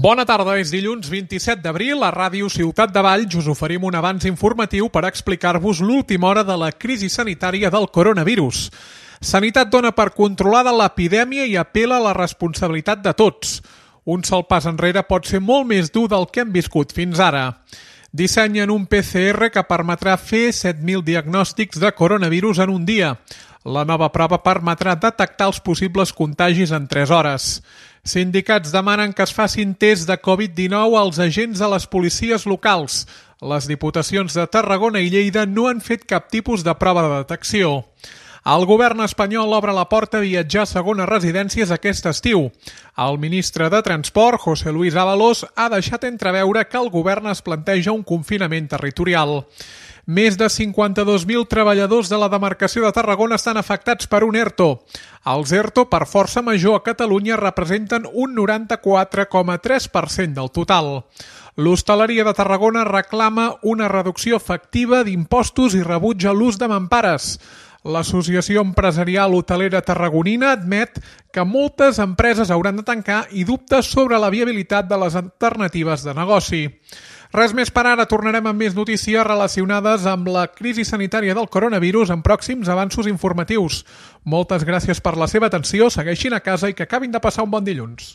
Bona tarda, és dilluns 27 d'abril. A Ràdio Ciutat de Valls us oferim un avanç informatiu per explicar-vos l'última hora de la crisi sanitària del coronavirus. Sanitat dona per controlada l'epidèmia i apela a la responsabilitat de tots. Un sol pas enrere pot ser molt més dur del que hem viscut fins ara. Dissenyen un PCR que permetrà fer 7.000 diagnòstics de coronavirus en un dia. La nova prova permetrà detectar els possibles contagis en 3 hores. Sindicats demanen que es facin tests de Covid-19 als agents de les policies locals. Les diputacions de Tarragona i Lleida no han fet cap tipus de prova de detecció. El govern espanyol obre la porta a viatjar a segones residències aquest estiu. El ministre de Transport, José Luis Ábalos, ha deixat entreveure que el govern es planteja un confinament territorial. Més de 52.000 treballadors de la demarcació de Tarragona estan afectats per un ERTO. Els ERTO, per força major a Catalunya, representen un 94,3% del total. L'hostaleria de Tarragona reclama una reducció efectiva d'impostos i rebutja l'ús de mampares. L'Associació Empresarial Hotelera Tarragonina admet que moltes empreses hauran de tancar i dubta sobre la viabilitat de les alternatives de negoci. Res més per ara, tornarem amb més notícies relacionades amb la crisi sanitària del coronavirus en pròxims avanços informatius. Moltes gràcies per la seva atenció, segueixin a casa i que acabin de passar un bon dilluns.